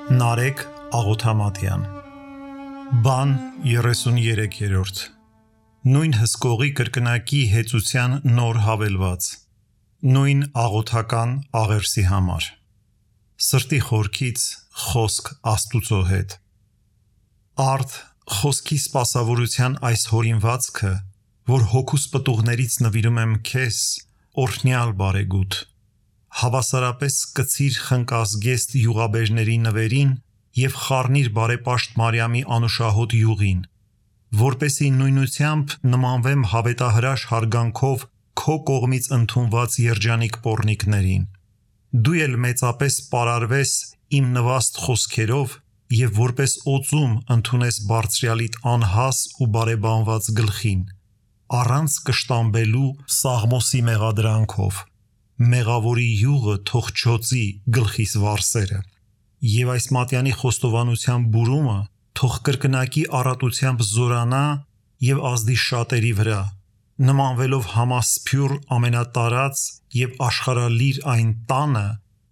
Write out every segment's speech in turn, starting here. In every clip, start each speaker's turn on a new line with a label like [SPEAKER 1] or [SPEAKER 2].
[SPEAKER 1] Նարեկ Աղոթամատյան Բան 33-րդ Նույն հսկողի կրկնակի հեծության նոր հավելված Նույն աղոթական աղերսի համար Սրտի խորքից խոսք Աստուծո հետ Արդ խոսքի սպասավորության այս հորինվածքը, որ հոգուս պտուղներից նվիրում եմ քեզ, օրհնյալ բարեգութ Հավասարապես կցիր խնկազգեստ յուղաբերների նվերին և խառնիր բարեպաշտ Մարիամի անուշահոտ յուղին, որպեսզի նույնությամբ նմանվեմ հավետահրաշ հարգանքով քո կողմից ընդունված երջանիկ պոռնիկներին։ Դու էլ մեծապես պարարվես իմ նվաստ խոսքերով և որպես օծում ընդունես Բարձրյալիդ անհաս ու բարեբանված գլխին, առանց կշտամբելու Սաղմոսի մեղադրանքով։ Մեղավորի յուղը թող չոցի գլխիս վարսերը Եվ այս մատյանի խոստովանության բուրումը թող կրկնակի առատությամբ զորանա և ազդի շատերի վրա, նմանվելով համասփյուռ ամենատարած և աշխարհալիր այն տանը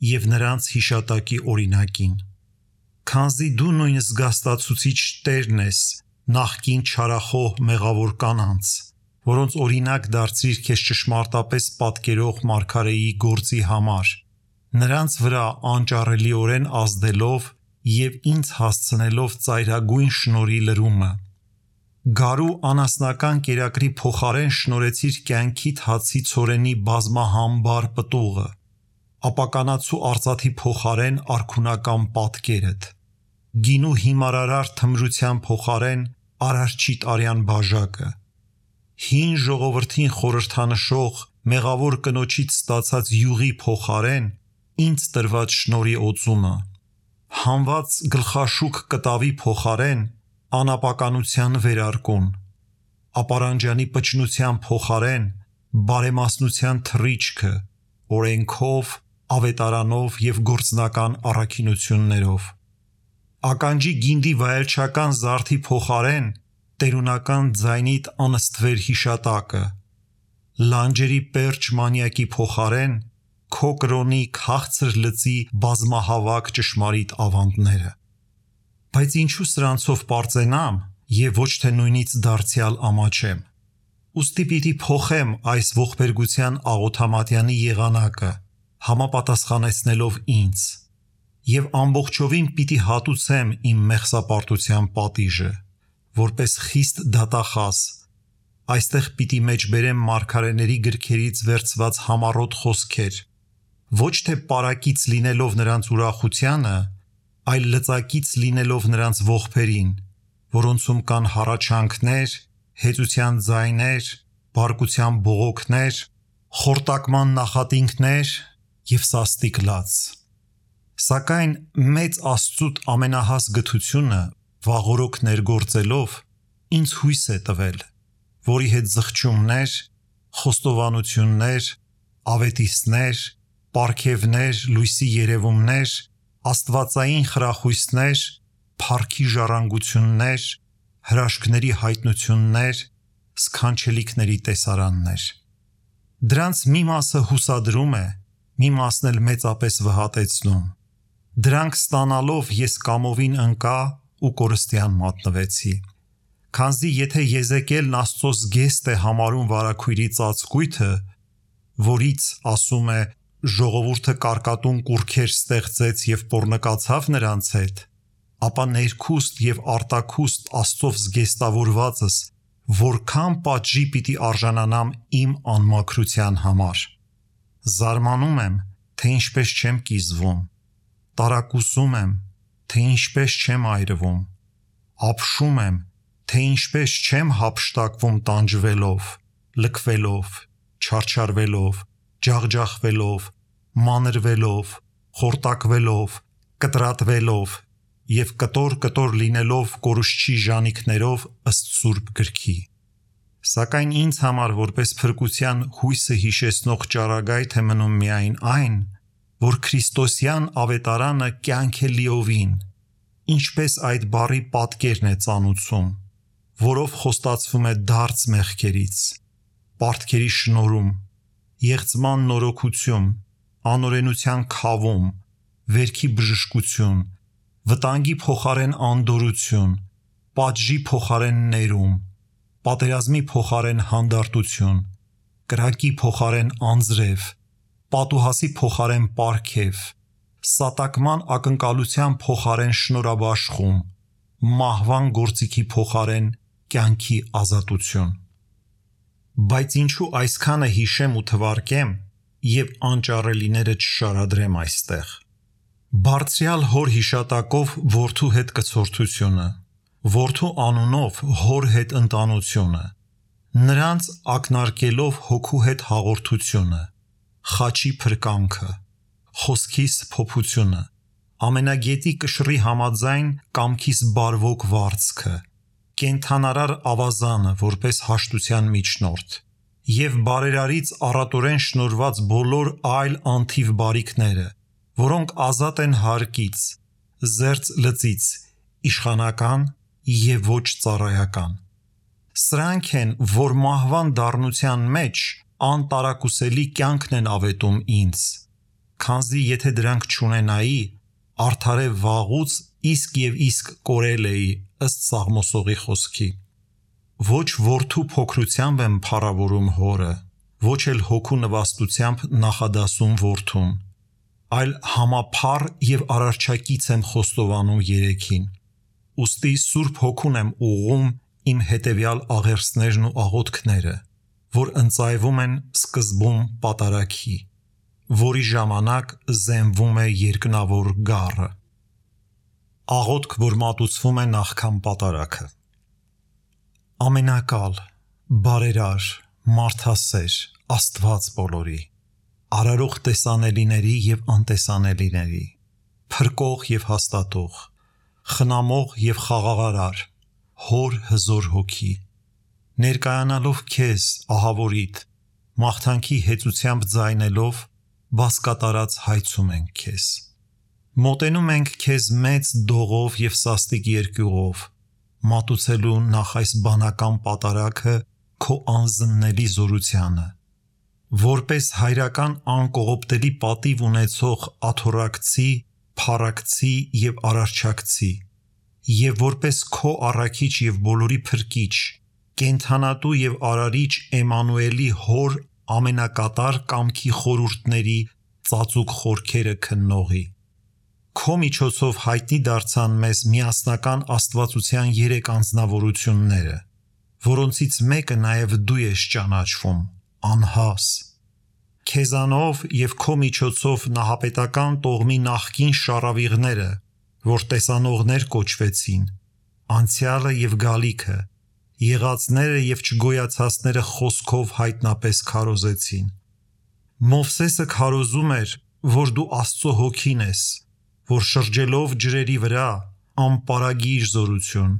[SPEAKER 1] և նրանց հիշատակի օրինակին։ Քանզի դու նույն զգաստացուցիչ Տերն ես նախկին չարախոհ մեղավոր կանանց, որոնց օրինակ դարձրիր քեզ ճշմարտապես պատկերող մարգարեի գործի համար, նրանց վրա անճարելիորեն ազդելով և ինձ հասցնելով ծայրագույն շնորհի լրումը։ Գարու անասնական կերակրի փոխարեն շնորհեցիր կյանքիդ հացի ցորենի բազմահամբար պտուղը, ապականացու արծաթի փոխարեն արքունական պատկերդ, գինու հիմարարար թմրության փոխարեն արարչիտ արյան բաժակը, հին ժողովրդին խորհրդանշող մեղավոր կնոջից ստացած յուղի փոխարեն ինձ տրված շնորհի օծումը, հանված գլխաշուք կտավի փոխարեն անապականության վերարկուն, ապարանջանի պճնության փոխարեն բարեմասնության թռիչքը, օրենքով, ավետարանով և գործնական առաքինություններով, ականջի գինդի վայելչական զարդի փոխարեն տերունական ձայնիդ անըստվեր հիշատակը, լանջերի պերճ մանյակի փոխարեն քո կրոնի քաղցր լծի բազմահավաք ճշմարիտ ավանդները։ Բայց ինչու սրանցով պարծենամ և ոչ թե նույնից դարձյալ ամաչեմ։ Ուստի պիտի փոխեմ այս ողբերգության աղոթամատյանի եղանակը, համապատասխանեցնելով ինձ, և ամբողջովին պիտի հատուցեմ իմ մեղսապարտության պատիժը, որպես խիստ դատախազ, այստեղ պիտի մեջբերեմ մարգարեների գրքերից վերցված համառոտ խոսքեր, ոչ թե պարակից լինելով նրանց ուրախությանը, այլ լծակից լինելով նրանց ողբերին, որոնցում կան հառաչանքներ, հեծության ձայներ, բարկության բողոքներ, խորտակման նախատինքներ և սաստիկ լաց։ Սակայն մեծ Աստծուտ ամենահաս գթությունը վաղօրոք ներգործելով ինձ հույս է տվել, որի հետ զղջումներ, խոստովանություններ, ավետիստներ, պարգևներ, լույսի երևումներ, աստվածային խրախույսներ, փառքի ժառանգություններ, հրաշքների հայտնություններ, սքանչելիքների տեսարաններ։ Դրանց մի մասը հուսադրում է, մի մասն էլ մեծապես վհատեցնում։ Դրանք ստանալով ես կամովին ընկա ու կորստյան մատնվեցի։ Քանզի եթե Եզեկիելն Աստծո զգեստ է համարում վարագույրի ծածկույթը, որից, ասում է, ժողովուրդը կարկատուն կուռքեր ստեղծեց և պոռնկացավ նրանց հետ, ապա ներքուստ և արտաքուստ Աստծով զգեստավորվածս որքան պատժի պիտի արժանանամ իմ անմաքրության համար։ Զարմանում եմ, թե ինչպես չեմ կիզվում, տարակուսում եմ, թե ինչպես չեմ այրվում, ապշում եմ, թե ինչպես չեմ հափշտակվում տանջվելով, լքվելով, չարչարվելով, ջախջախվելով, մանրվելով, խորտակվելով, կտրատվելով և կտոր լինելով կորուստչի ժանիքներով ըստ Սուրբ Գրքի։ Սակայն ինձ համար որպես փրկության հույսը հիշեցնող ճառագայթ է մնում միայն այն, որ Քրիստոսյան ավետարանը կյանք է լիովին, ինչպես այդ բառի պատկերն է ծանուցում, որով խոստացվում է դարձ մեղքերից, պարտքերի շնորհում, եղծման նորոգություն, անօրենության քավում, վերքի բժշկություն, վտանգի փոխարեն անդորություն, պատժի փոխարեն ներում, պատերազմի փոխարեն հանդարտություն, կրակի փոխարեն անձրև, պատուհասի փոխարեն պարգև, սատակման ակնկալության փոխարեն շնորհաբաշխում, մահվան գործիքի փոխարեն կյանքի ազատություն։ Բայց ինչու այսքանը հիշեմ ու թվարկեմ եւ անճառելիները չշարադրեմ այստեղ։ Բարձրյալ հոր հիշատակով որդու հետ կցորդությունը, որդու անունով հոր հետ ընտանությունը, նրանց ակնարկելով հոգու հետ հաղորդությունը, խաչի փրկանքը, խոսքիս փոփությունը, ամենագետի կշռի համաձայն կամքիս բարվոք վարձքը, կենթանարար ավազանը որպես հաշտության միջնորդ եւ բարերարից առատորեն շնորված բոլոր այլ անթիվ բարիքները, որոնք ազատ են հարկից, զերծ լծից, իշխանական եւ ոչ ծառայական։ Սրանք են, որ մահվան դառնության մեջ անտարակուսելի կյանքն են ավետում ինձ, քանզի եթե դրանք չունենայի, արդարե վաղուց իսկ եւ իսկ կորել էի ըստ Սաղմոսողի խոսքի։ Ոչ որդու փոքրությամբ եմ փառավորում հորը, ոչ էլ հոգու նվաստությամբ նախադասում որդուն, այլ համափառ եւ արարչակից եմ խոստովանում երեքին։ Ուստի Սուրբ Հոգուն եմ ուղղում իմ հետեւյալ աղերսներն ու աղոթքները, որ ընծայվում են սկզբում պատարագի, որի ժամանակ զենվում է երկնավոր գառը։ Աղոթք, որ մատուցվում է նախքան պատարագը։ Ամենակալ, բարերար, մարդասեր, Աստված բոլորի, արարող տեսանելիների եւ անտեսանելիների, փրկող եւ հաստատող, խնամող եւ խաղաղարար, հոր հզոր հոգի, ներկայանալով քեզ ահավորիդ, մաղթանքի հեծությամբ ձայնելով, բասկատարած հայցում ենք քեզ։ Մոտենում ենք քեզ մեծ դողով եւ սաստիկ երկյուղով, մատուցելու նախ այս բանական պատարագը քո անզննելի զորությանը, որպես հայրական անկողոպտելի պատիվ ունեցող աթոռակցի, փառակցի եւ արարչակցի, եւ որպես քո առաքիչ եւ բոլորի փրկիչ, կենթանատու եւ արարիչ Էմանուելի հոր ամենակատար կամքի խորհուրդների ծածուկ խորքերը քննողի։ Քո միջոցով հայտնի դարձան մեզ միասնական աստվածության 3 անձնավորությունները, որոնցից մեկը նաև դու ես ճանաչվում, անհաս։ Քեզանով եւ քո միջոցով նահապետական տողմի նախկին շարավիղները, որ տեսանողներ կոչվեցին, անցյալը եւ գալիքը, եղածները եւ չգոյացածները խոսքով հայտնապես քարոզեցին։ Մովսեսը քարոզում էր, որ դու Աստծո հոգին ես, որ շրջելով ջրերի վրա անպարագիր զորություն,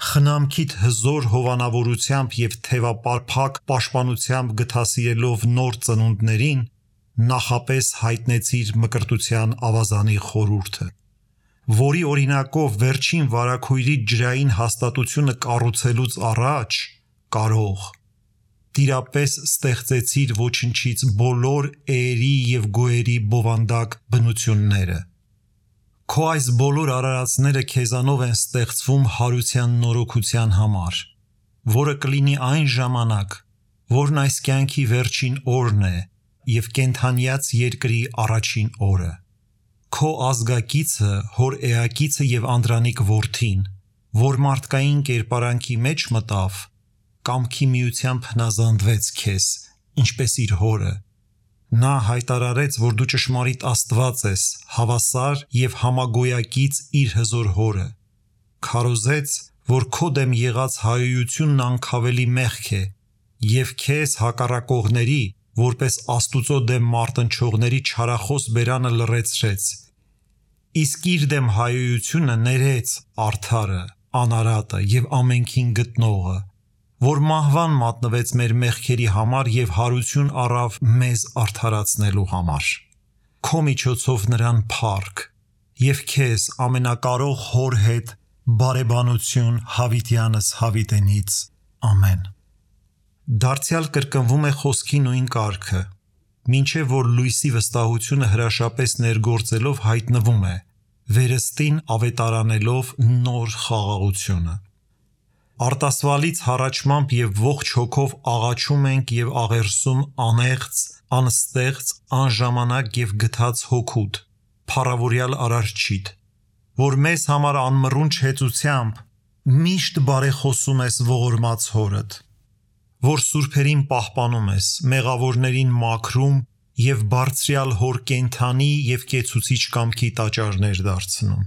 [SPEAKER 1] խնամքիդ հզոր հովանավորությամբ եւ թևապարփակ պաշտպանությամբ գթասիրելով նոր ծնունդներին, նախապես հայտնեցիր մկրտության ավազանի խորհուրդը, որի օրինակով վերջին վարագույրի ջրային հաստատությունը կառուցելուց առաջ կարող տիրապես ստեղծեցիր ոչնչից բոլոր էերի եւ գոյերի բովանդակ բնությունները։ Քո այս բոլոր արարածները քեզանով են ստեղծվում հարության նորոգության համար, որը կլինի այն ժամանակ, որն այս կյանքի վերջին օրն է եւ կենթանյաց երկրի առաջին օրը։ Քո ազգակիցը, հոր էակիցը եւ անդրանիկ որդին, որ մարդկային կերպարանքի մեջ մտավ, կամքի միությամբ հնազանդվեց քեզ, ինչպես իր հորը։ Նա հայտարարեց, որ դու ճշմարիտ Աստված ես, հավասար եւ համագոյակից իր հզոր հորը։ Քարոզեց, որ քո դեմ եղած հայությունն անկավելի մեղք է եւ քեզ հակառակողների, որպես Աստուծո դեմ մարտնչողների չարախոս բերանը լռեցրեց։ Իսկ իր դեմ հայությունը ներեց արդարը, անարատը եւ ամենքին գտնողը, որ մահվան մատնվեց մեր մեղքերի համար եւ հարություն առավ մեզ արդարացնելու համար։ Քո միջոցով նրան փառք եւ քեզ ամենակարող հոր հետ բարեբանություն հավիտյանս հավիտենից։ Ամեն։ Դարձյալ կրկնվում է խոսքի նույն կարգը, մինչև որ լույսի վստահությունը հրաշապես ներգործելով հայտնվում է, վերստին ավետարանելով նոր խաղաղությունը։ Արտասվալից հառաչմամբ եւ ողջ հոգով աղաչում ենք եւ աղերսում անեղծ, անստեղծ, անժամանակ եւ գթած հոգուդ, փառավորյալ Արարչիդ, որ մեզ համար անմռունչ հեծությամբ միշտ բարեխոսում ես ողորմած հորդ, որ սուրբերին պահպանում ես, մեղավորներին մաքրում եւ բարձրյալ հոր կենթանի եւ կեցուցիչ կամքի տաճարներ դարձնում։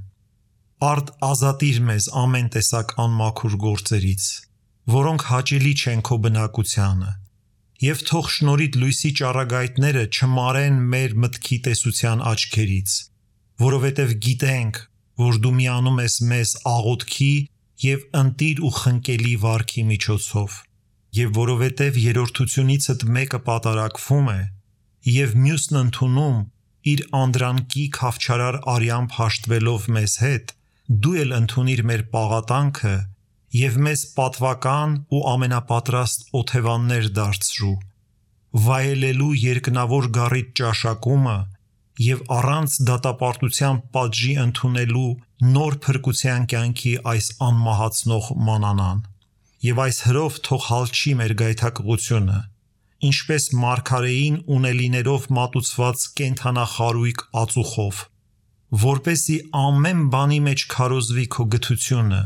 [SPEAKER 1] Արդ ազատիր մեզ ամեն տեսակ անմաքուր գործերից, որոնք հաճելի չեն քո բնակությանը, եւ թող շնորհիդ լույսի ճառագայթները չմարեն մեր մտքի տեսության աչքերից, որովհետեւ գիտենք, որ դու միանում ես մեզ աղոթքի եւ ընտիր ու խնկելի վարքի միջոցով, եւ որովհետեւ երրորդությունիցդ մեկը պատարակվում է, եւ մյուսն ընդունում իր անդրանքի խավչարար արյամբ հաշտվելով մեզ հետ, դու էլ ընդունիր մեր պաղատանքը եւ մեզ պատվական ու ամենապատրաստ օթևաններ դարձրու, վայելելու երկնավոր գառիթ ճաշակումը եւ առանց դատապարտության պատժի ընդունելու նոր փրկության կյանքի այս անմահացնող մանանան, եւ այս հրով թող հալչի մեր գայթակղությունը, ինչպես մարգարեին ունելիներով մատուցված կենթանախարույկ ածուխով, որպեսի ամեն բանի մեջ քարոզվի քո գթությունը,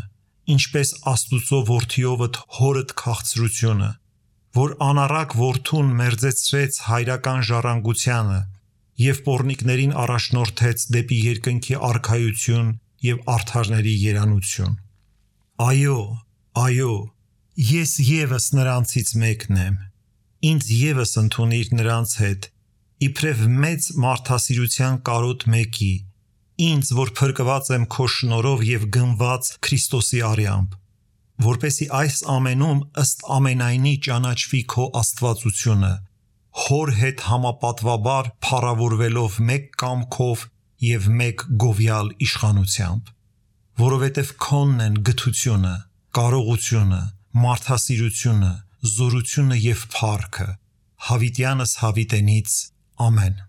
[SPEAKER 1] ինչպես Աստուծո որդիովդ հորդ քաղցրությունը, որ անառակ որդուն մերձեցրեց հայրական ժառանգությանը եւ պոռնիկներին առաջնորդեց դեպի երկնքի արքայություն եւ արդարների երանություն։ Այո, ես եւս նրանցից մեկն եմ, ինձ եւս ընդունիր նրանց հետ, իբրև մեծ մարդասիրության կարոտ մեկի, ինձ, որ փրկված եմ քո շնորհով եւ գնված Քրիստոսի արյամբ, որպեսի այս ամենում ըստ ամենայնի ճանաչվի քո աստվածությունը, հոր հետ համապատվաբար փառավորվելով մեկ կամքով եւ մեկ գովյալ իշխանությամբ, որովհետեւ քոնն են գթությունը, կարողությունը, մարդասիրությունը, զորությունը եւ փառքը, հավիտյանս հավիտենից, ամեն։